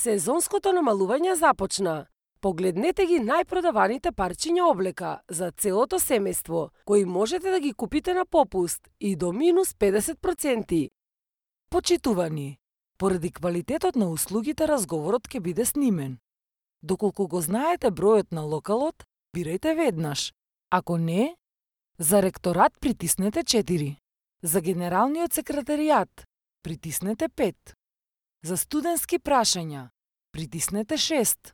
Сезонското намалување започна. Погледнете ги најпродаваните парчиња облека за целото семејство, кои можете да ги купите на попуст и до минус 50%. Почитувани, поради квалитетот на услугите разговорот ќе биде снимен. Доколку го знаете бројот на локалот, бирајте веднаш. Ако не, за ректорат притиснете 4. За генералниот секретаријат притиснете 5. За студентски прашања притиснете 6.